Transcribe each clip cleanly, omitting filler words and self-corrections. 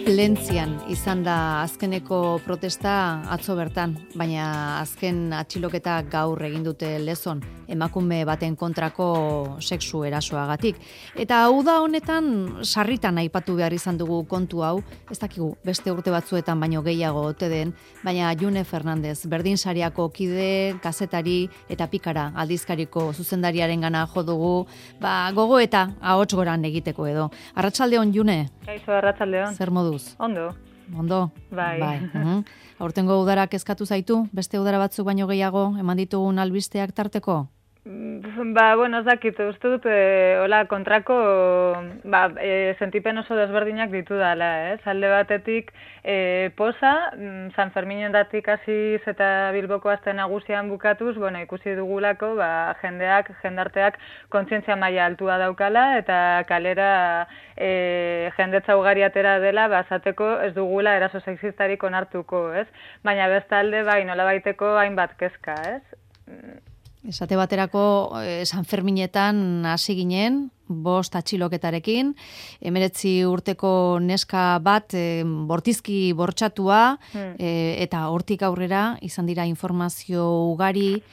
Plentzian izan da azkeneko protesta atzo bertan, baina azken atxiloketa gaur egin dute Lezon, emakume baten kontrako sexu erasoagatik. Eta hau da honetan sarritan aipatu behar izan dugu kontu hau, ez dakigu beste urte batzuetan baino gehiago ote den, baina June Fernandez, Berdinsariako kide, kazetari eta Pikara aldizkariko zuzendariarengana jo dugu, gogo eta ahots goran egiteko edo. Arratsaldeon June. Kaixo, arratsaldeon. Zer moduz? Ondo. Ondo? Bai. Aurtengo udarak kezkatu zaitu? Beste udara batzuk baino gehiago eman ditugun albisteak tarteko? Bueno, ez dakit, uste dut, hola, kontrako, sentipen oso desberdinak ditu dala, ez? Alde batetik, posa, San Ferminendatik hasiz eta Bilboko aste nagusian bukatuz, ikusi dugulako, jendarteak kontzientzia maila altua daukala, eta kalera jendetza ugari atera dela, azateko ez dugula eraso sexistarik onartuko, ez? Baina bestalde, nolabaiteko hainbat kezka, ez? Esate baterako San Ferminetan hasi ginen, 5 atxiloketarekin, 19 urteko neska bat bortizki bortxatua, eta hortik aurrera izan dira informazio ugari,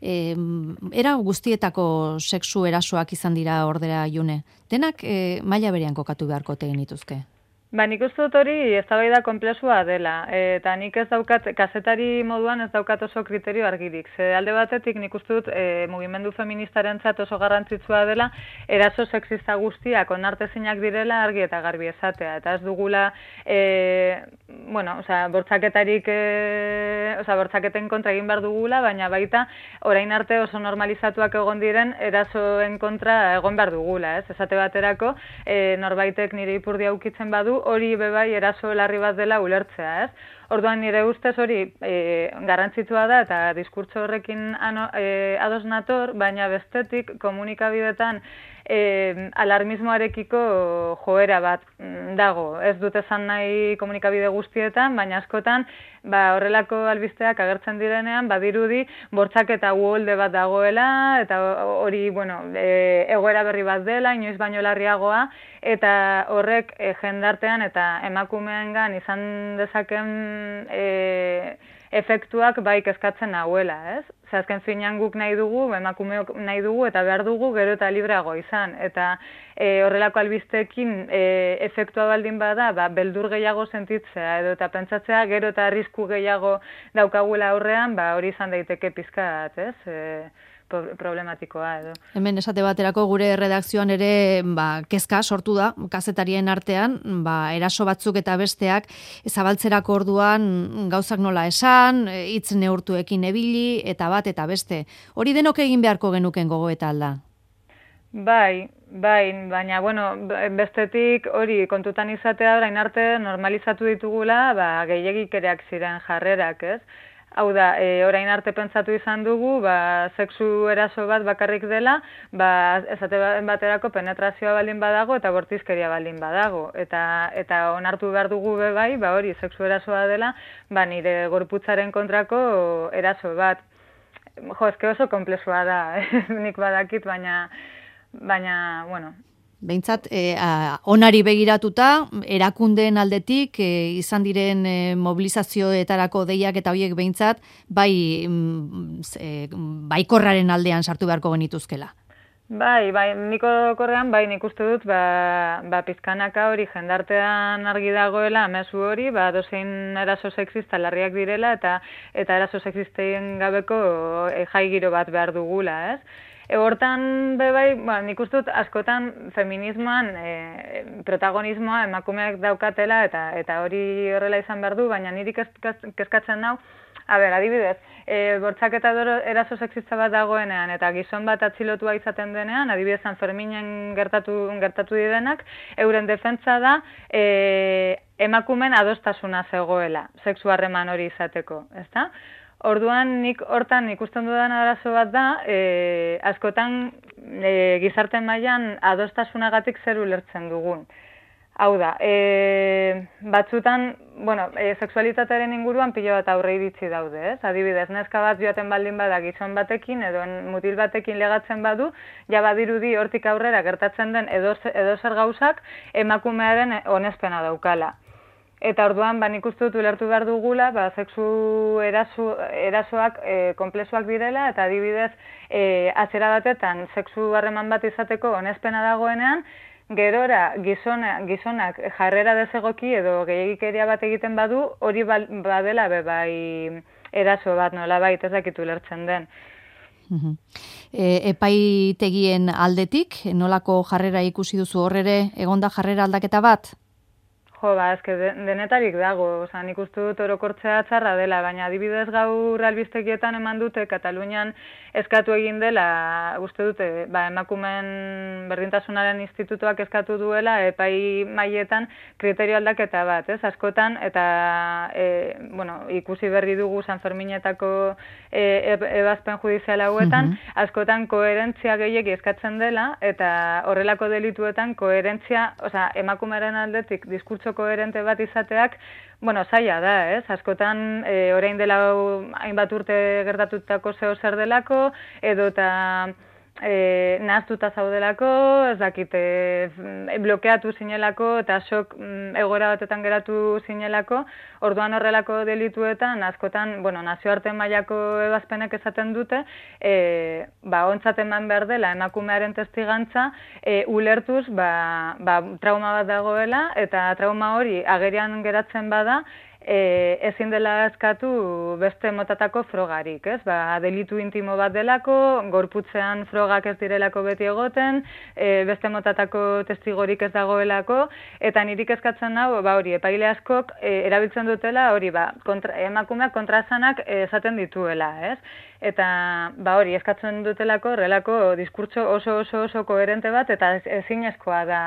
era guztietako sexu erasoak izan dira ordera June. Denak maila berean kokatu beharko tegin dituzke. Nik uste dut hori eztabaida konplexua dela, eta nik ez daukat, kazetari moduan ez daukat oso kriterio argirik. Alde batetik nik uste dut mugimendu feministarentzat oso garrantzitsua dela, eraso sexista guztiak onartezinak direla argi eta garbi esatea. Eta ez dugula, bortzaketen kontra egin behar dugula, baina baita orain arte oso normalizatuak egon diren erasoen kontra egon behar dugula. Esate baterako, norbaitek nire ipurdia ukitzen badu, hori bebai eraso larri bat dela ulertzea, ez? Orduan nire ustez hori garrantzitsua da eta diskurtso horrekin ados nator, baina bestetik komunikabidetan alarmismoarekiko joera bat dago. Ez dut esan nahi komunikabide guztietan, baina askotan horrelako albisteak agertzen direnean, badirudi bortxaketa uholde bat dagoela, eta hori, egoera berri bat dela, inoiz baino larriagoa, eta horrek jendartean eta emakumeengan izan dezaken efektuak bai kezkatzen nahuela, ez? Azken finean guk nahi dugu, emakumeok nahi dugu eta behar dugu gero eta libreago izan. Eta horrelako albisteekin efektua baldin bada, beldur gehiago sentitzea edo eta pentsatzea gero eta arrisku gehiago daukagula aurrean, hori izan daiteke pizkat, ez? Problematikoa edo. Hemen esate baterako gure redakzioan ere kezka sortu da, kazetarien artean, eraso batzuk eta besteak zabaltzerako orduan gauzak nola esan, hitz neurtuekin ebili, eta bat eta beste. Hori denok egin beharko genuken gogoeta alda? Bai, baina, bestetik hori kontutan izatea orain arte normalizatu ditugula, gehiegikereak ziren jarrerak, ez? Hau da, orain arte pentsatu izan dugu, sexu eraso bat bakarrik dela, esate baterako penetrazioa baldin badago eta bortizkeria baldin badago. Eta onartu behar dugu bebai, hori sexu erasoa dela, nire gorputzaren kontrako eraso bat. Ezke oso komplexua da, nik badakit, baina, Behintzat, onari begiratuta, erakundeen aldetik, izan diren mobilizazioetarako deiak eta horiek behintzat, baikorraren aldean sartu beharko genituzkela. Nik orokorrean, nik uste dut, pizkanaka hori jendartean argi dagoela, mezu hori, dozein eraso sexista larriak direla, eta eraso sexisten gabeko jai giro bat behar dugula, ez? Hortan, nik uste dut askotan feminismoan protagonismoa emakumeak daukatela eta hori horrela izan behar du, baina niri kezkatzen nau, adibidez, bortxaketa eraso sexista bat dagoenean eta gizon bat atxilotua izaten denean, adibidez San Ferminen gertatu direnak, euren defentsa da emakumen adostasuna zegoela, sexu harreman hori izateko, ezta? Orduan nik hortan ikusten dudan arazo bat da, askotan gizarten mailan adostasunagatik zer ulertzen dugun. Hau da, batzutan, sexualitatearen inguruan pilo bat aurre iritsi daude, ez? Adibidez, neska bat joaten baldin bada gizon batekin edo mutil batekin legatzen badu, ja badirudi hortik aurrera gertatzen den edo zer gauzak emakumearen onespena daukala. Eta orduan, nik uste dut ulertu behar dugula, sexu erasoak konplexuak direla, eta adibidez, atzera batetan, sexu harreman bat izateko onespena dagoenean, gerora gizonak jarrera desegoki edo gehiagikeria bat egiten badu, hori badela bai eraso bat nolabait, ez dakit ulertzen den. Epaitegien aldetik, nolako jarrera ikusi duzu horrere, egonda jarrera aldaketa bat? Jo, eske denetarik dago, nik uste dut orokortzea txarra dela, baina adibidez gaur albistegietan eman dute Katalunian eskatu egin dela, uste dute, emakumeen berdintasunaren institutuak eskatu duela epai mailetan kriterio aldaketa bat, askotan, eta ikusi berri dugu San Ferminetako ebazpen judizial hauetan, askotan koherentzia gehiegi eskatzen dela, eta horrelako delituetan koherentzia, emakumearen aldetik diskurtso koherente bat izateak, zaila da, askotan orain dela hainbat urte gertatutako zer delako, edo eta nahaztuta zaudelako, ez dakite, blokeatu zinelako, eta sok egoera batetan geratu zinelako, orduan horrelako delituetan, askotan, nazioarte mailako ebazpenek esaten dute, ontzat eman behar dela, emakumearen testigantza, ulertuz, trauma bat dagoela, eta trauma hori agerian geratzen bada, ezin dela eskatu beste motatako frogarik, delitu intimo bat delako, gorputzean frogak ez direlako beti egoten, beste motatako testigorik ez dagoelako, eta nirik eskatzen hau, hori, epaile askok erabiltzen dutela, hori, emakumeak kontraesanak esaten dituela, eta, hori, eskatzen dutelako, horrelako diskurtso oso koherente bat, eta ezinezkoa da,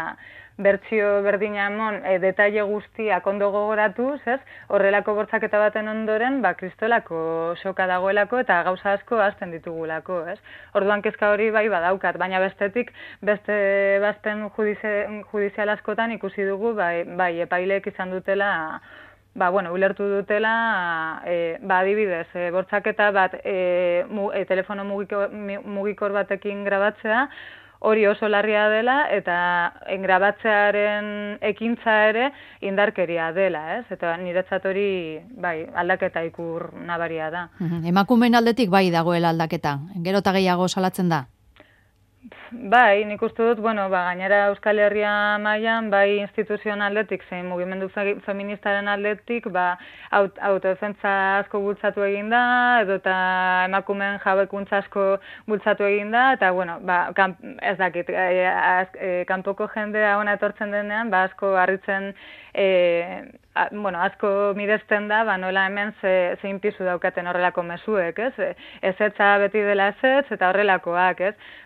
bertsio berdina emon, detaile guztiak ondo gogoratuz, horrelako bortzaketa baten ondoren, kristolako soka dagoelako eta gauza asko hasten ditugulako, Orduan kezka hori bai badaukat, baina bestetik, beste bazten judizial askotan ikusi dugu, bai epaileek izan dutela, ulertu dutela, adibidez, bortzaketa bat telefono mugikor batekin grabatzea, hori oso larria dela eta grabatzearen ekintza ere indarkeria dela, eta niretzat hori aldaketa ikur nabaria da. Emakumeen aldetik bai dagoela aldaketa, gero eta gehiago salatzen da? Bai, nik uste dut, gainera Euskal Herria mailan, bai instituzioen aldetik, zein mugimendu feministaren aldetik, autodefentsa asko bultzatu egin da, edo eta emakumeen jabekuntza asko bultzatu egin da, eta, ez dakit, kanpoko jendea ona etortzen denean, asko harritzen, asko miresten da, nola hemen zein pisu daukaten horrelako mezuek, ezetza beti dela ezetz, eta horrelakoak,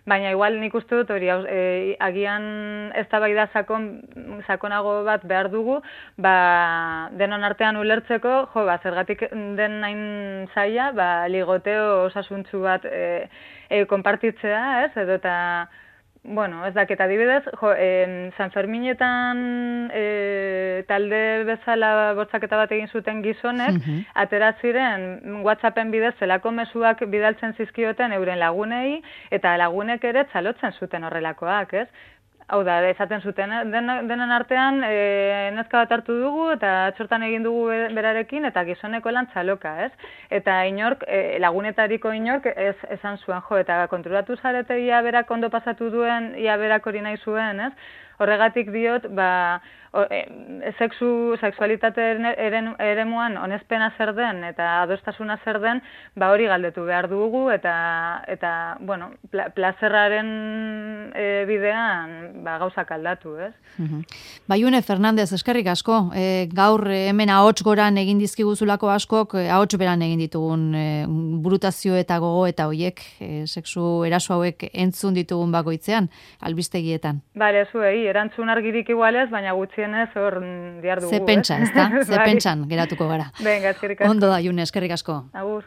baina igual nik uste dut hori agian eztabaida sakonago bat behar dugu, denon artean ulertzeko, zergatik den nain zaila, ligoteo osasuntzu bat konpartitzea, edo eta ez dakit adibidez, San Ferminetan talde bezala bortzaketa bat egin zuten gizonek, atera ziren WhatsAppen bidez zelako mezuak bidaltzen zizkioten euren lagunei, eta lagunek ere txalotzen zuten horrelakoak, Hau da, esaten zuten, denen artean neska bat hartu dugu eta txortan egin dugu berarekin eta gizoneko lan txaloka, Eta inork, lagunetariko inork esan zuen, eta konturatu zarete ia berak ondo pasatu duen, ia berak hori nahi zuen, Horregatik diot, sexualitate eremuan onespena zer den eta adostasuna zer den, hori galdetu behar dugu eta plazerraren bidean gauzak aldatu, Baiune Fernandez, eskerrik asko, gaur hemen ahots goran egin dizkiguzulako askok, ahots beran egin ditugun burutazio eta gogo eta hoiek, sexu eraso hauek entzun ditugun bakoitzean, albistegietan. Bale, zuei, erantzun argirik igualez, baina gutxienez hor diar dugu. Ze pentsa, ezta? Ze pentsan geratuko gara. Venga, eskerrik asko. Ondo da, June, eskerrik asko. Agur.